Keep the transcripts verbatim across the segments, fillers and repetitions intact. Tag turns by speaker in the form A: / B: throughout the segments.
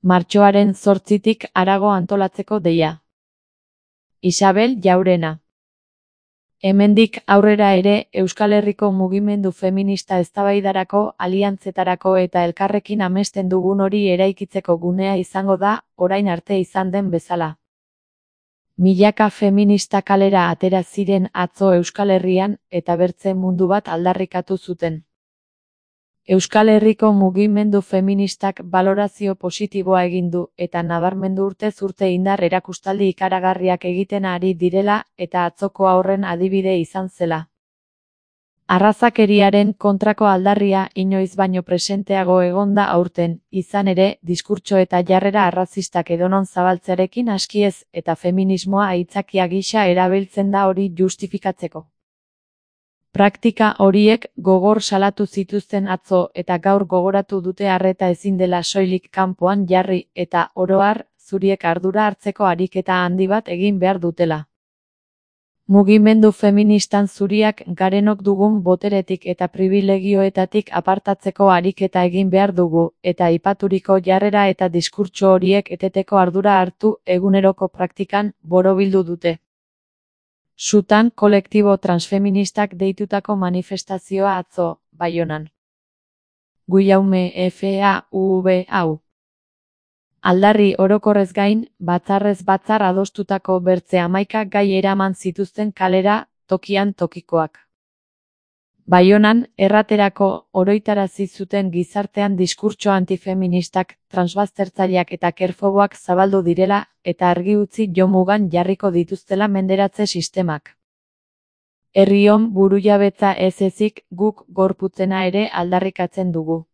A: Martxoaren zortzitik harago antolatzeko deia. Isabel Jaurena. Hemendik aurrera ere Euskal Herriko mugimendu feminista eztabaidarako, aliantzetarako eta elkarrekin amesten dugun hori eraikitzeko gunea izango da, orain arte izan den bezala. Milaka feminista kalera atera ziren atzo Euskal Herrian eta bertze mundu bat aldarrikatu zuten. Euskal Herriko mugimendu feministak balorazio positiboa egin du eta nabarmendu urtez urte indar erakustaldi ikaragarriak egiten ari direla eta atzokoa horren adibide izan zela. Arrazakeriaren kontrako aldarria inoiz baino presenteago egonda aurten, izan ere, diskurtso eta jarrera arrazistak edonon zabaltzearekin askiez eta feminismoa aitzakia gisa erabiltzen da hori justifikatzeko. Praktika horiek gogor salatu zituzten atzo eta gaur gogoratu dute arreta ezin dela soilik kanpoan jarri eta oro har, zuriek ardura hartzeko ariketa handi bat egin behar dutela. Mugimendu feministan zuriak garenok dugun boteretik eta pribilegioetatik apartatzeko ariketa egin behar dugu, eta aipaturiko jarrera eta diskurtso horiek eteteko ardura hartu eguneroko praktikan borobildu dute. Sutan kolektibo transfeministak deitutako manifestazioa atzo, Baionan. Guillaume F A U V hau. Aldarri orokorrez gain, batzarrez batzar adostutako bertze hamaika gai eraman zituzten kalera, tokian tokikoak. Baionan, erraterako, oroitarazi zuten gizartean diskurtso antifeministak, transbaztertzaileak eta kerfoboak zabaldu direla, eta argi utzi jomugan jarriko dituztela menderatze sistemak. Herrion burujabetza ez ezik, guk gorputzena ere aldarrikatzen dugu.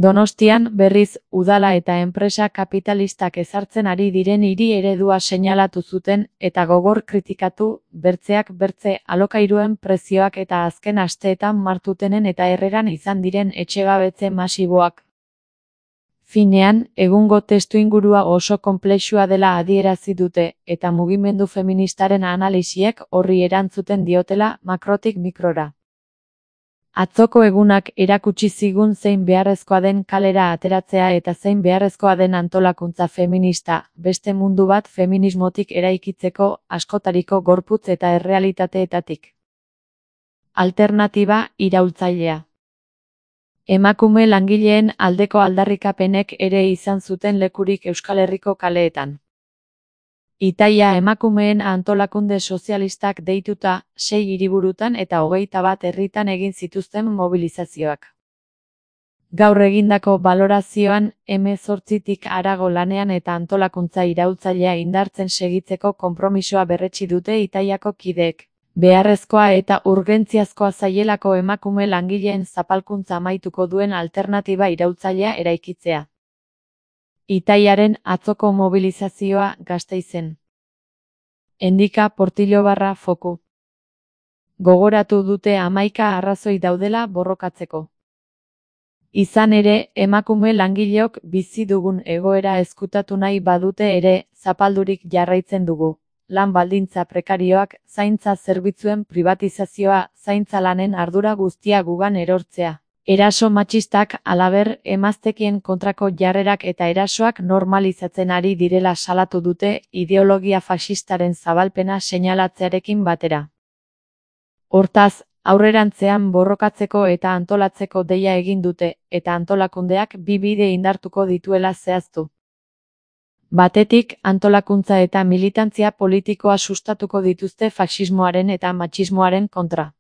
A: Donostian, berriz, udala eta enpresa kapitalistak ezartzen ari diren hiri eredua seinalatu zuten eta gogor kritikatu, bertzeak bertze alokairuen prezioak eta azken asteetan martutenen eta herreran izan diren etxegabetze masiboak. Finean, egungo testuingurua oso konplexua dela adierazi dute, eta mugimendu feministaren analisiek horri erantzuten diotela makrotik mikrora. Atzoko egunak erakutsi zigun zein beharrezkoa den kalera ateratzea eta zein beharrezkoa den antolakuntza feminista, beste mundu bat feminismotik eraikitzeko, askotariko gorputz eta errealitateetatik. Alternatiba iraultzailea. Emakume langileen aldeko aldarrikapenek ere izan zuten lekurik Euskal Herriko kaleetan. Itaia emakumeen antolakunde sozialistak deituta, sei hiriburutan eta hogeita bat herritan egin zituzten mobilizazioak. Gaur egindako balorazioan, hemezortzitik harago lanean eta antolakuntza iraultzailea indartzen segitzeko konpromisoa berretsi dute Itaiako kideek. Beharrezkoa eta urgentziazkoa zaielako emakume langileen zapalkuntza amaituko duen alternatiba iraultzailea eraikitzea. Itaiaren atzoko mobilizazioa Gasteizen. Endika Portillo barra foku. Gogoratu dute hamaika arrazoi daudela borrokatzeko. Izan ere, emakume langileok bizi dugun egoera ezkutatu nahi badute ere, zapaldurik jarraitzen dugu. Lan baldintza prekarioak, zaintza zerbitzuen pribatizazioa, zaintza lanen ardura guztia gugan erortzea. Eraso matxistak, halaber, emaztekien kontrako jarrerak eta erasoak normalizatzen ari direla salatu dute ideologia faxistaren zabalpena seinalatzearekin batera. Hortaz, aurrerantzean borrokatzeko eta antolatzeko deia egin dute, eta antolakundeak bi bide indartuko dituela zehaztu. Batetik, antolakuntza eta militantzia politikoa sustatuko dituzte faxismoaren eta matxismoaren kontra.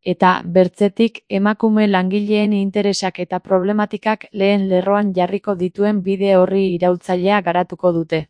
A: Eta, bertzetik, emakume langileen interesak eta problematikak lehen lerroan jarriko dituen bide horri iraultzailea garatuko dute.